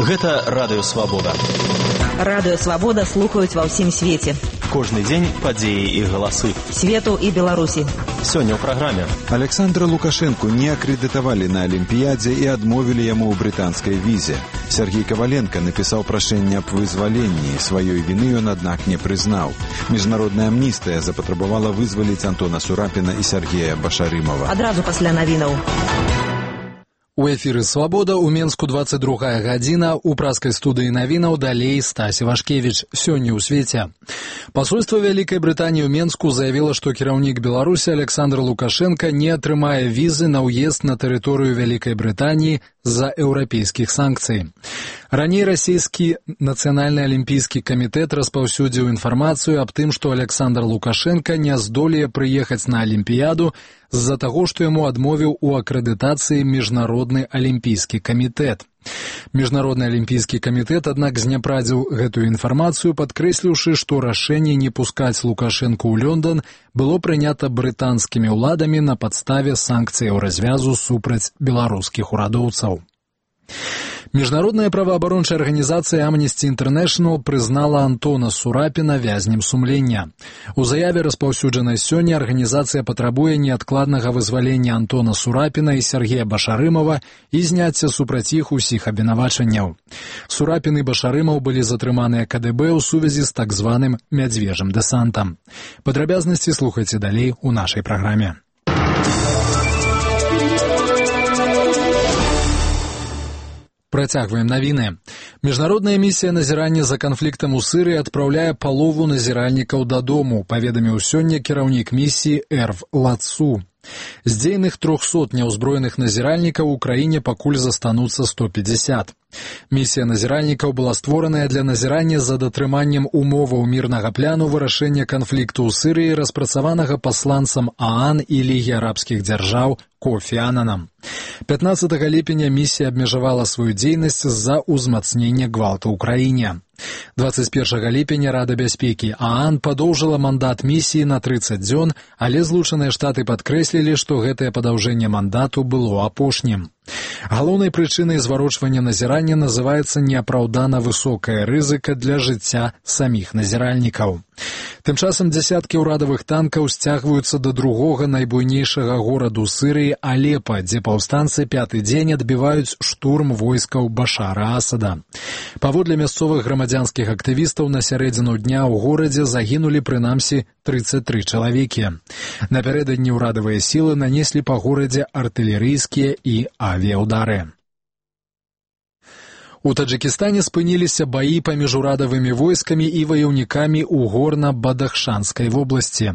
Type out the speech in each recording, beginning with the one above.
Гэта Радыё Свабода. Радыё Свабода слухаюць ва ўсім свеце. Кожны дзень падзеі і галасы. Свету і Беларусі. Сёння ў праграме. Александра Лукашенку не акрэдытавалі на Алімпіядзе і адмовілі яму ў брытанскай візе. Сергей Коваленко напісаў прашэнне аб вызваленні. Сваёй віны ён, аднак, не прызнаў. Міжнародная амністыя запатрабавала вызваліць Антона Сурапіна і Сергея Башарымова. Адразу пасля навінаў. У эфіры «Свабода» у Менску 22 гадзіна, у праскай студыі навінаў далей Стась Івашкевіч. Сёння ў свеце. Пасольства Вялікай Брытаніі ў Менску заявіла, што кіраўнік Беларусі Александр Лукашенко не атрымае візы на ўезд на тэрыторыю Вялікай Брытаніі з-за еўрапейскіх санкцый. Раней расійскі Нацыянальны алімпійскі камітэт распаўсюдзіў інфармацыю аб тым, што Александр Лукашенко не здолее прыехаць на Алімпіяду з-за таго, што яму адмовіў у акрэдытацыі Міжнародны алімпійскі камітэт. Міжнародны алімпійскі камітэт, аднак, зняпрадзіў гэтую інфармацыю, падкрэсліўшы, што рашэнне не пускаць Лукашэнку ў Лёндан было прынята брытанскімі ўладамі на падставе санкцыяў развязу супраць беларускіх урадоўцаў. Міжнародная праваабарончая арганізацыя Amnesty International прызнала Антона Сурапіна вязнем сумлення. У заяве, распаўсюджанай сёння, арганізацыя патрабуе неадкладнага вызвалення Антона Сурапіна і Сергея Башарымова і зняцця супраць іх усіх абвінавачанняў. Сурапін і Башарымаў былі затрыманыя КДБ ў сувязі з так званым мядзвежым дэсантам. Падрабязнасці слухайце далей у нашай праграме. Працягваем навіны. Міжнародная місія назірання за канфліктам у Сырыі адпраўляе палову назіральнікаў дадому, паведаміў сёння кіраўнік місіі Эрв Лацу. З дзейных 300 няўзброеных назіральнікаў у краіне пакуль застануцца 150. Місія назіральнікаў была створаная для назірання за датрыманнем умоваў мірнага пляну вырашэння канфлікту ў Сырыі, распрацаванага пасланцам ААН і Лігі арабскіх дзяржаў Кофі Ананам. 15 ліпеня місія абмежавала сваю дзейнасць з-за ўзмацнення гвалту ў краіне. 21 ліпеня Рада бяспекі ААН падоўжыла мандат місіі на 30 дзён, але Злучаныя Штаты падкрэслілі, што гэтае падаўжэнне мандату было апошнім. Галоўнай прычынай зварочвання назірання называецца неапраўдана высокая рызыка для жыцця саміх назіральнікаў. Тым часам дзясяткі ўрадавых танкаў сцягваюцца да другога найбуйнейшага гораду Сырыі Алепа, дзе паўстанцы пяты дзень адбіваюць штурм войскаў Башара Асада. Паводле мясцовых грамадзянскіх актывістаў, на сярэдзіну дня ў горадзе загінулі прынамсі 33 чалавекі. Напярэдадні ўрадавыя сілы нанеслі па горадзе артылерыйскія і авіяўдары. У Таджыкістане спыніліся баі паміж урадавымі войскамі і ваяўнікамі ў горна-Бадахшанскай вобласці.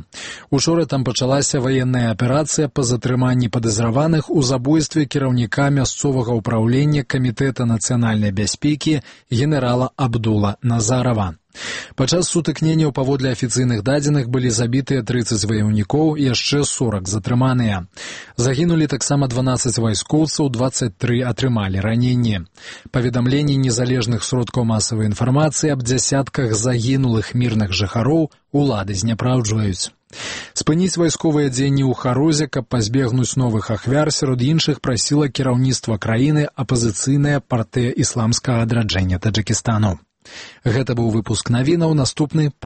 Учора там пачалася ваенная аперацыя па затрыманні падазраваных у забойстве кіраўніка мясцовага ўпраўлення Камітэта нацыянальнай бяспекі генерала Абдула Назарова. Падчас сутыкненняў паводле афіцыйных дадзеных былі забітыя 30 ваяўнікоў і яшчэ 40 затрыманыя. Загінулі таксама 12 вайскоўцаў, 23 атрымалі раненні. Паведамленні незалежных сродкаў масавай інфармацыі аб дзясятках загінулых мірных жыхароў улады зняпраўджваюць. Спыніць вайсковыя дзеянні ў Харозе, каб пазбегнуць новых ахвяр, сярод іншых прасіла кіраўніцтва краіны апазіцыйная партыя ісламскага адраджэння Таджыкістану. Гэта быў выпуск навінаў, наступны